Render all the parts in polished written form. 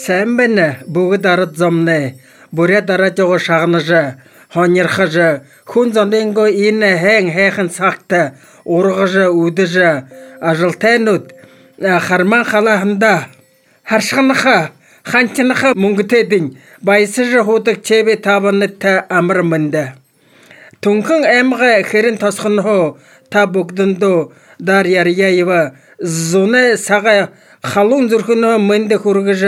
Сайн байна бүгд ард зомны бүрэ дарааж байгаа шагнаж хоньрхаж хүн зонынго энэ хайхан цагт ургаж үдэж ажилтайнууд харман халааханда харшхнаха ханчнаха мөнгөтэйдин баясаж худаг чэбэ тавант амар мэнда түнхэн аймга хэрэн тосхонхоо та бүгдэндөө дар яряева зуны сага халуун зүрхнөө мэндэ хүргэж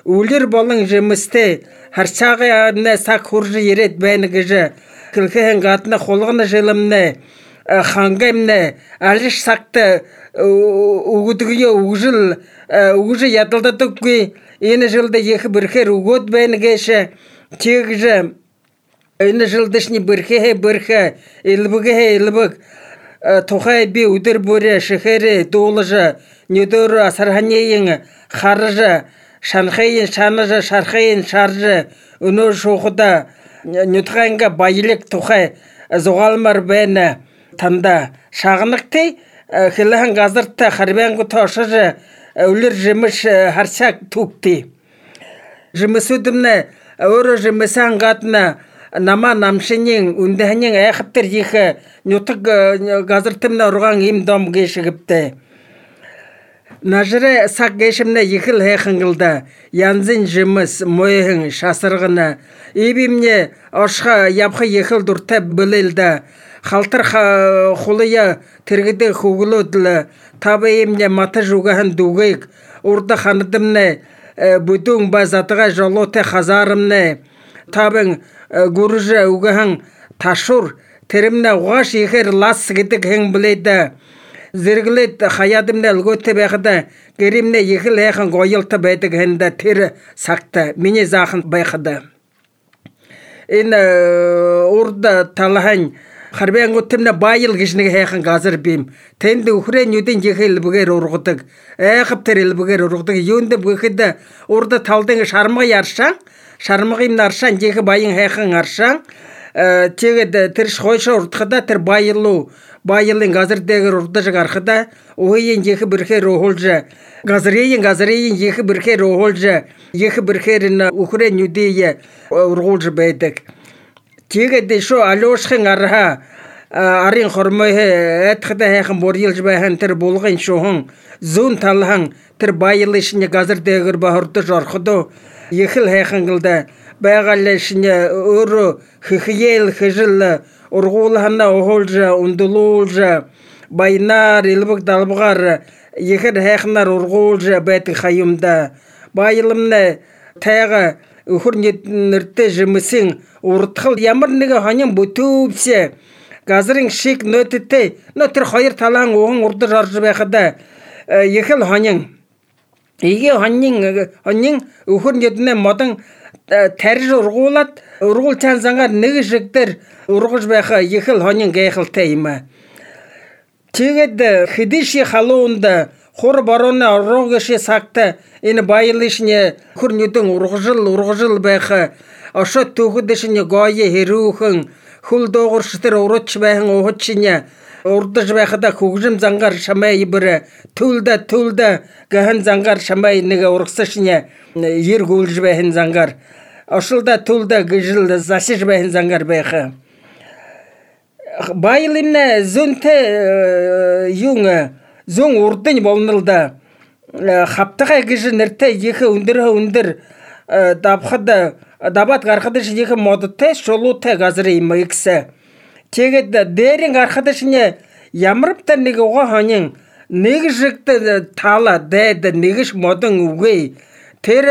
үлэр болон жимстэй харчаагааны саг хурж ирээд байна гэж хэлхэн гадна хулгана жилэмнэ хангамнэ алиш сагт өгдөг үгж ядалдадаггүй энэ жилд их бэрхээр өгөөд байна гэж тэгж энэ жилдэшний бэрхэ илбэг тухай би өдөр бүрэ шихээр дуулж нүдөр асарханийн харж шанхайн шанаж шархайн шарж өнөө шухада нүдханга баялаг тухай зугаалмар байна танда шагнагтай хэлхэн газарт харбангу тошж өлөр жимш харчаг түгти жимсүдмнэ өөрөө жимсэн гадна нама намшинийн үндэхнийн айхтар их нутаг газартмна урган им дом гэшигвтэй нажрэ саг гэшмнэ ихэл хайхангалда янзын жимс мойхэн шасаргана ибимне оршха явха ихэл дуртай бэлэлда халтар хулыя тэргэдэ хөглөөдл табаимне матаж угахан дүгээг урда хандамнэ бүдүн базатга жолоте хазарымнэ табын гуржа угахан ташур тэрэмнэ угаш ихэр лас гэдэг хэн блэда зэрэглэд хаядымнэ лгөтэ байхада гэримнэ ихэл хайхан гоёлта байдаг хэнда тэр сагта миний заахан байхада энэ урда талхан харбангуудтэмнэ баял гэж нэг хайхан газар бим тэнд өхрэн нүдэн жихэл бүгээр ургадаг айхав тэр илбэгээр ургадаг юунд бүхэд урда талдын шармга яршаа шармгын наршан жих баян хайхан аршаа тэгээд тэр хойшоо урдахада тэр баялын газар дээр урдаж гарахада ууийн жих бэрхээр уулж газрын жих бэрхээр уулж жих бэрхээр өхрэн нүдээ ургуулж байдаг тэгээд шо алуушхын арха арын хормой этхдэ хайхан борьилж байхан тэр булгын шухан зүүн талхан тэр баялын газар дээр бахардж орходоо ихэл хайхангалда байгалшны өөрөө хихиэл хижил ургуулхана уулж ундулуулж байнаар илбэг далбгаар ихэр хайхнаар ургуулж байдаг хаюмда баялмны тайга өхөр нэртэй жимсэн урдхал ямар нэг хонин бүтүүвсэ газрын шиг нөттэй нөтер хоёр талаан ухан урдаж орж байхада ихэл хонин игээ хонин өхөр нэднэ модон тарж ургуулад ургуул цаанзангаар нэг шигдэр ургаж байха ихэл хонин гайхалтай юм тэгээд хэдиши халуунд хур борооны орогши сагта энэ баялышны хөр нүдэн ургажил байха ошот түүхэдэшний гоёе хэрүүхэн хөл доогорш тэр урууч байхан уучиня урдаж байхада хөгжим зангаар шамай ибэр төлдө гахан зангаар шамай нэг ургасашня ер гүйлж байхан зангаар ошолда төлдө гжил засиж байхан зангаар байха баялын зөнтэ зүүн урдын болнолда хавтахай гэж нэртэй их өндөр давхад дабат гарахад шиг модтой шулуутай газар юм ихсэ тэгээд дээрэн гарахад шинэ ямарвта нэг угаа хонин нэг шигт таала дээд нэгш модон үгүй тэр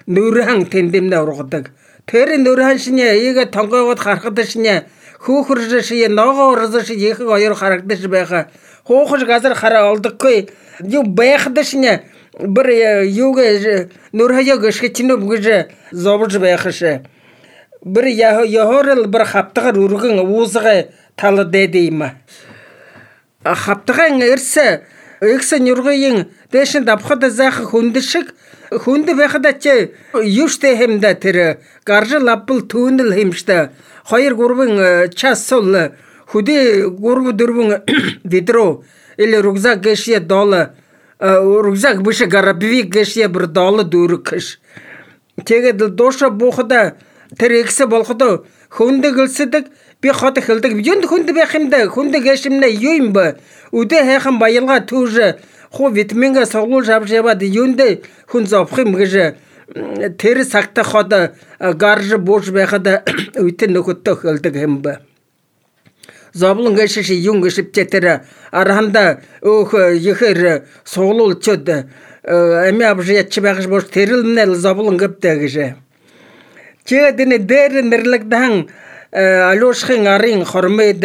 нүрхэн тэндэмнэ ургадаг тэр нүрхэн шинэ игэ тонгоогод харахад шинэ хөөхөрж шие ногоорж шие их хоёр харагдаж байха хоохож газар хараа олдоггүй юу байхад шинэ бір юугэ нүрхаяг шгичнэ бүгж зовж байхаш бір яхорл бір хавтагар үргэн уузга тал дэдэ юм хавтаган эрсэ эксэн нүргэйн дэшин давхад заах хүндшиг хүнд байхад ч юуштэй хэмдэ тэр гаржил лабл түүнэл хэмжтэй 2-3 час сул хүдэ 3-4 видро или рюкзак гэшие дол рюкзак биш гарабивик гэшээ бүр долод өргөш. Тэгээд дууша буухада тэр экс болоход хөндөглсөдөг би хот хэлдэг юунд хүнд байх юм да хүнд гэшимнэ юу юм бэ үдэ хайхан баялга түүж хуу витаминга соглуулж авч яваад юунд хүн зовх юм гэж тэр цагта хот гарж бууж байхад үтэн нөхөдөө хэлдэг юм бэ зовлон гэшиш юм гэшипчээ тэр арханда өөх ихэр соглуулчод ами авж яч байгаж бууж тэрэлнэл зовлон гэвтэй гэж чэдэн дээр нэрлэгдэн алуушхын арын хормед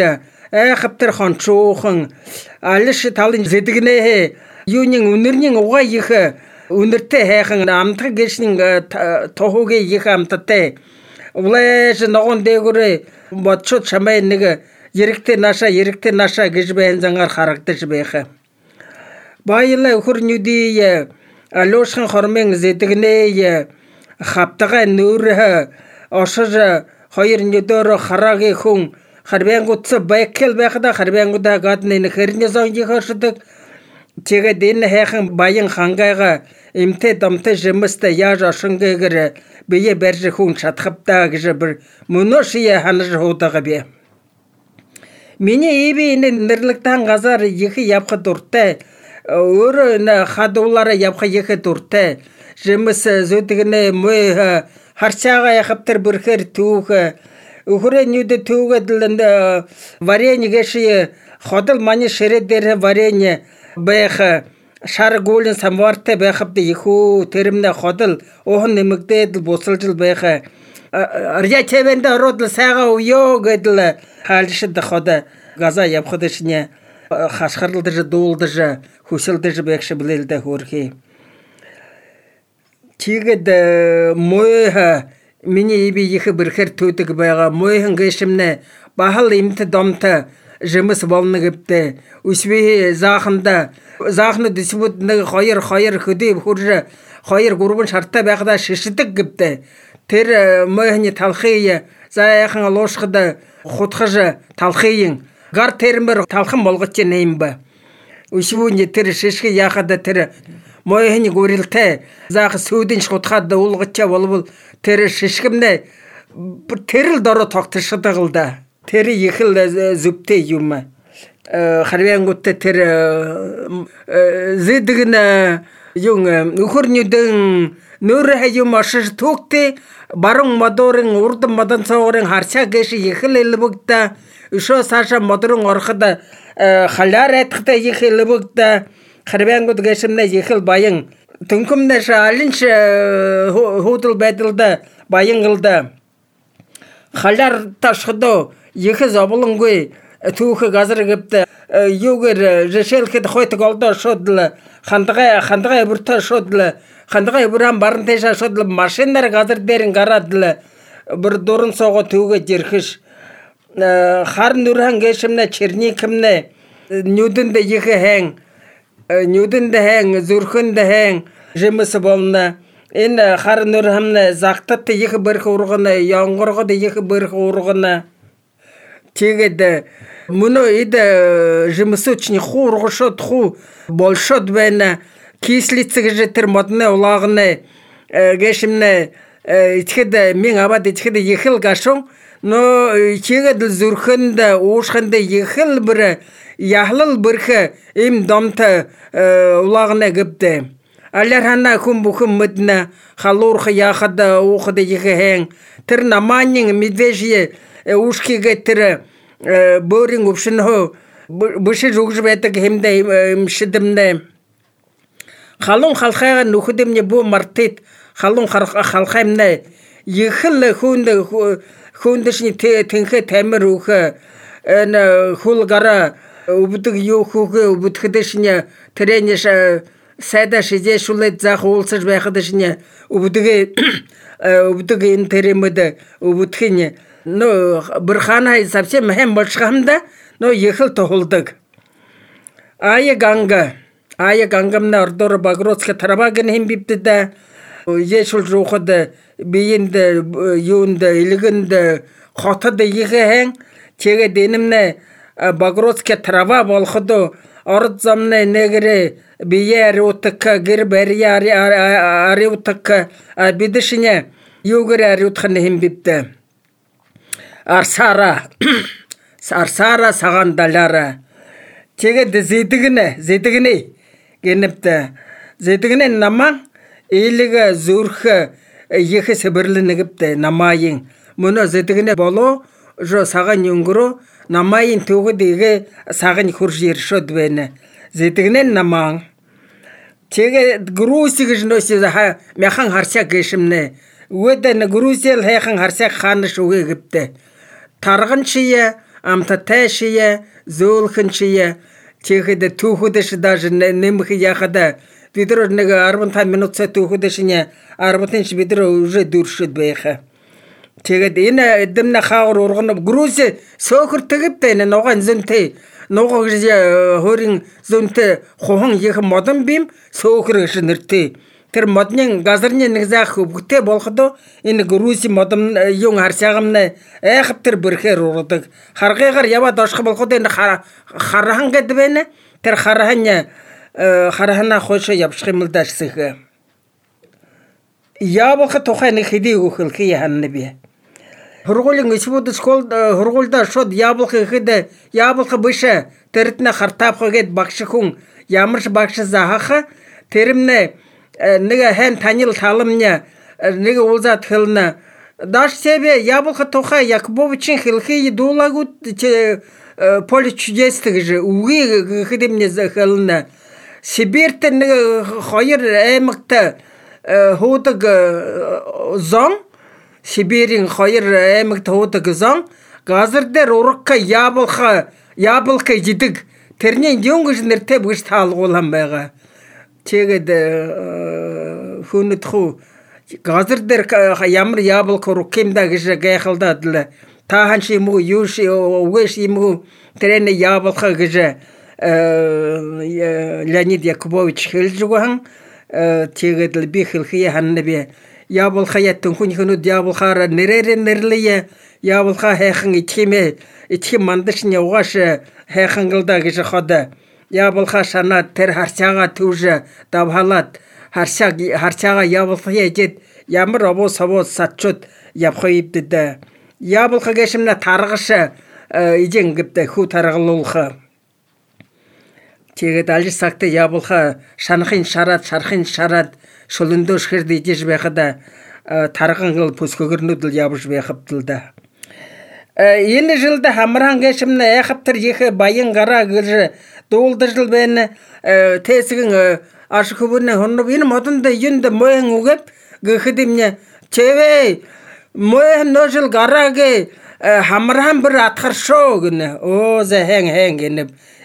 айхаптер хончуухан алиш талын зэдгнээ юунин үнэрний угаа их үнэртэй хайхан амтаг гэшнин тохогийн их амттай улааш ногоон дээгүүр бодчод чамай нэг ерэгтэй наша гэж байн зангаар харагдаж байх баяла хөрнүди алуушхын хормын зэдгнээ хаптага нүүр ошож хоёр нүдөр харагийн хүн харбянгуудс байкл байхада харбянгуудаа гадны хэрний зонгийн хашдаг тэгээд энэ хайхан баян хангайга эмтэй домтой жимстэй яаж ошингэгэр бие барьж хүн чадхавдаа гэж бүр мөнөшие ханаж хуудаага би миний эби энэ нэрлэгдэн газар их явхад дуртай өөрөө энэ хадуулаараа явах их дуртай жимс зүдгнэ мой харчаага яхаптар бүрхээр түүх өхөрөө нүд түүгээд л варень гэши ходол мани ширэ дээр варень байх шар гүлэн самвартай байхад ихүү тэрмнэ ходол ухан нэмэгдээд бусалж байх арья чэвэнд ороод сайгаа уё гэдэл хаалшид ход газа явхад шинэ хашхарлдаж дуулдаж хүсэлдэж байх шиблэлдэ хөрхи тэгээд мой миний иби их бэрхэр төдөг байгаа мойхан гэшимнэ бахал имт домт жимс болно гэвдэ үсвэ заахна дисбут нэг хоёр хөдөө хурж 2-3 шартай байхдаа шишдэг гэвдэ тэр мойхны талхыг заяахан луушхад хутгаж талхыг гар термэр талхан болгоч нэм ба үсвүний тэр шишгэ яхад тэр мойхны гүрэлтэй заах сүүдэн шутхад уулгачаа болвол тэр шишгэмнэ тэрл дороо тогтшдаг л да тэр их л зүвтэй юм харвянгуудтай тэр зэдгэн юм өхөрнүдэн нөр хаям ашиж түүхтэй баруун модорын урд модан цоорын харчаа гэш их л элбэгдэ өшөө саша модорын ороход халаар айтхтай их элбэгдэ харвянгууд гэшмнэ их л баян төнкөмнэш алинч худал байдалда баянгалда халаар ташхдо их зовлонгүй түүх газар гэвдэ юугэр жишээлхэд хойт голдо шодл хандгай бүртэ шодл хандгай бүрэн барантэша шодл машинаар газар дээр гараад л бүр дуран сого түүгээ жирхэш хар нүрхэн гэшмнэ черникэмнэ нүдэнд их хэн нүдэнд хэн зүрхэнд хэн жимс болно энэ хар нүрхэн загтат их бэрх ургана янгоргод их бэрх ургана тэгээд мөнөө эд жимсөчний хуургошод ху болшод байна кислица гэж тэр модны улагны гэшимнэ итгэд мен аваад итгэд их л гашун но чигэд зүрхэнд уушханд их л бүр яхлал бэрх им домт улагны гэвдэ алар хана хүн бүхэн мэднэ халуурх яхад уухад их хэн тэр наманин медвежье ушкигэ тэр бөөрийн өвшнөө бүшиж өгж байдаг хэмдэ шидэмнэ халуун халхайга нүхэдэмний бүү мартит халуун халхаймнэ ихэл хүндэшний тэнхэ тамир өөх энэ хулгара өвдөг юу хүүхэ өвдөдөшний трениш сайда шижэшүүлээд заах уулсаж байхад шинэ өвдөг энэ тэрэмэд өвдөхийн но бурхана совсем хэм болшхамда но ехал тохолдог ая гангамна ордор багроцка тарабагын химбиптэд ешул жухад биенд юунд илгэнд хотод ихэн тэгээд энэмнэ багроцка трава болоход орд замны нэгрэ бие ариутка гэр барья ариутка бидшине югэр ариутхны химбитэ арсара сагандалара тэгээд зэдгэнэ гэнэптэ зэдгэнэ намаа илэг зүрх ихэ сэбэрлэнэгптэ намаийн мөнө зэдгэнэ болоо жо саган юнгро намаийн төгөд игэ саган хурж иршөд байна зэдгэнэ намаа тэгээд груси гэж нөөс мяхан харсаа гэшмнэ үедэн грусэл хайхан харсаа хаана шүгэ гэптэ тарган чие амтатай шие зөөлхөн чие тэгэхэд түүхэдэш даже нэмэх яхада бид нэг 15 минут түүхэдэшня 10 бид уже дүршэд байха тэгээд энэ эдэмнэ хаагур урган груси сөөхөр тэгвтэй нуган зөнтэй нугаг хөрийн зөнтэй хухан их модон бим сөөхөр гэж нэртэй тэр модны газарны нэг заах өвгтэй болоход энэ груси модон юм харсаагамна айхав тэр бэрхээр ургадаг харгайгаар яваад орших болоход энэ харахан гэдэг байна тэр харахана хойшоо явчих юм л даашсэх яабах тухай нэг хэдий өгөх яхана би хургуулын исбүүд скол хургуулда шууд яабах ихэд яабах биш тэртнэ хартаапх гээд багш хүн ямарч багш заахаа тэрмнэ нэг хэн танил таламня нэг уулзаад хэлнэ даш себе яблоко тухай Якубовичийн хэлхий дуулагууд поле чудес гэж үгүй хэдэмнэ хэлнэ Сибирт нэг хоёр аймагт хуудаг зон Сибирийн хоёр аймагт хуудаг зон газар дээр урагка яблоко жидэг тэрний юм гэж нэртэй бүгд таалгуулсан байгаа тэгээд хүнэдхүү газар дээр ямар яблоко рукимда гэж гайхалдаад л таахан чи юм уу юу ши угэш юм уу тэрэн яблоко гэж Леонид Якубович хэлж өгөн тэгээд л би хэлхий ханна би яблоко ятэн хүн хөнөд яблохоор нэрлэе яблоко хайхан ичхим мандашны угааш хайхангалда гэж хад яблоко шанаа тэр харцаага төвж давхалаад харцаага яблоко яжэд ямар овоос сатчуд явах ивдэд яблоко гэшмна таргаш ижин гэвдэ хүү таргалуулах тэгээд алж сагт яблоко шархын шараад шулөндөөш хэрд ижиж байхад таргангал пөскөгөрнөд л явж байхавтал да энэ жилд хамраан гэшмна яхавтар их баян гараа гэж дуулдаж л байна тэсгэн ашхөвнө хонно энэ модонд юнд моен үгэп гэхэдэмнэ чэвэ моен ножил гарааге хамраан бүр атгаршоо гэнэ оо за хэн гэнэ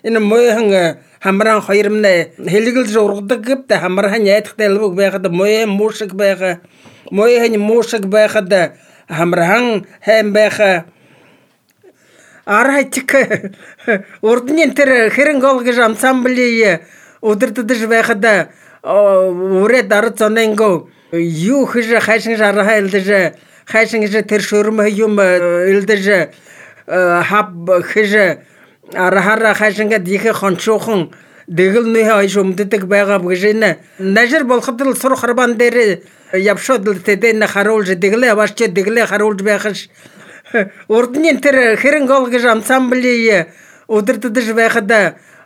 энэ моен хамраан хоёрмнэ хэлгэлж ургадаг гэвд хамраан яйдахтай л байхад моен муушиг байха моен муушиг байхад хамраан хэм байха арайтик урдны тэр хэрэн гол гэж ансамбли удирддаж байхад үрэ дар зоненго юу хийж хайшин жараа илдэж хайшин гэж тэр шөрм юм илдэж хаб хийж арахара хайшингад их хончуухан дэгэлний хойш өмддөг байгаа гэж нажир болоход л сур харбан дээр явшод л тэдэн харуулж дэглээ аваач дэглээ харуулж байхш урдны тэр хэрэн гол гэж ансамбли удирддаж байхад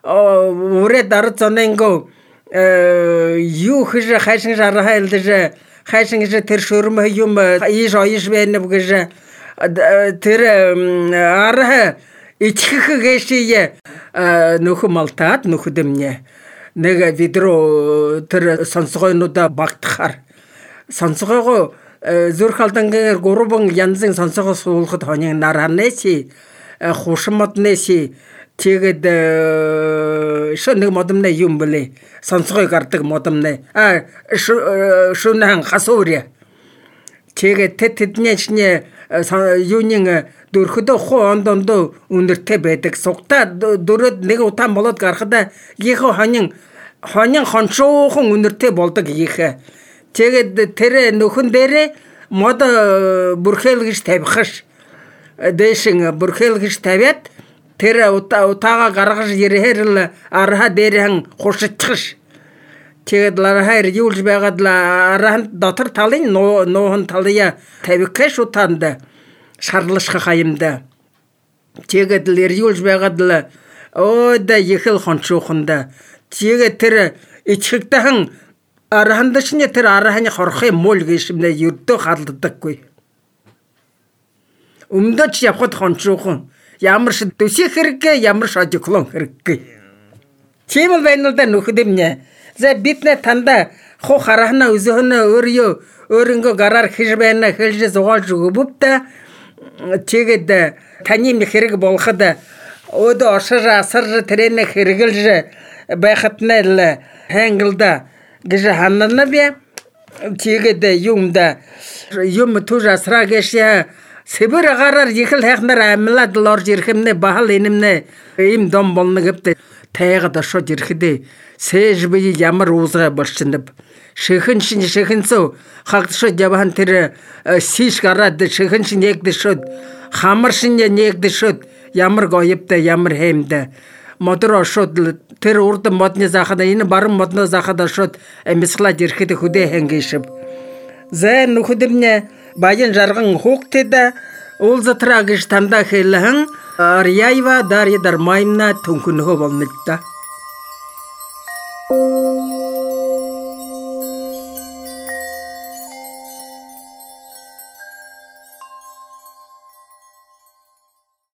үрэ дар зоненго юу хийж хайшин жараа илдэж хайшин гэж тэр шөрм юм ийш байна гэж тэр араа ичхэх гэшие нөхө малтаад нөхөдмнэ нэг видео тэр сонсгойнуудаа багтахаар сонсгойгоо зүрх алдангаар гурван янзын сонсгоо суулахад хоны наранэси хушмаднэси тэгээд шөнөг модомнэ юм блэ сонсгой гардаг модомнэ шөнэн хасууря тэгээд тэднэчнэ юунин дөрхөдөө хондондоо үнэртэй байдаг сугта дөрөд нэг утаан болоод гарахад гихо хонин хончуухан үнэртэй болдог их тэгээд тэр нөхөн дээрээ мод бүрхэл гэж тавихш дэшин бүрхэл гэж тавиад тэр утаага гаргаж ирэхээр л арха дээрхэн хуршичхш. Тэгээд ларахаар юулж байгаад л архан дотор талын нуухан талын тавикэш утаанд шарлашхах юмда. Тэгээд л юулж байгаад л да ихэл хончууханда. Тэгээд тэр ичхэгдэхэн архандашны тэр арханы хорхын мул гişмнэ ердөө халддаггүй. Өмдөж явхад хончуухан ямар ч төсөх хэрэггүй, ямар ч одиклон хэрэггүй. Тийм л байна л да нөхөд минь. За биднэ танда ху харахна өзөөнө өөрөнгө гараар хэж байна хэлж зугаалж өгөвдө. Тэгээд таны хэрэг болоход өдөө оршир асар тэрэнэ хэрэгэлж байхад нь л хангалда гэж ханана би. Тэгээд юм түр асраа гэшээ Сибир гараар ихэл хайхнаар амьлаад л орж ирэхэмнэ бахал инэмнэ им дом болно гэвтэ тайгад оршоод ирэхдээ сэж би ямар уузгаа болчихноб шихэнцөө хагдшод явахан тэр сиш гараад шихэншин ягдэшод хамаршин ягдэшод ямар гоёвтай ямар хэмдэ модор оршоод тэр урд модны захад энэ баруун модны захад оршоод амьсгалаад ирэхэд хөдөө хангишв за нөхөдөрнө баян жарган хугтэд уулзатраа гэж тандаа хэлхэн Арьяева Дарья Дармаевна түнхнөхөө болно да.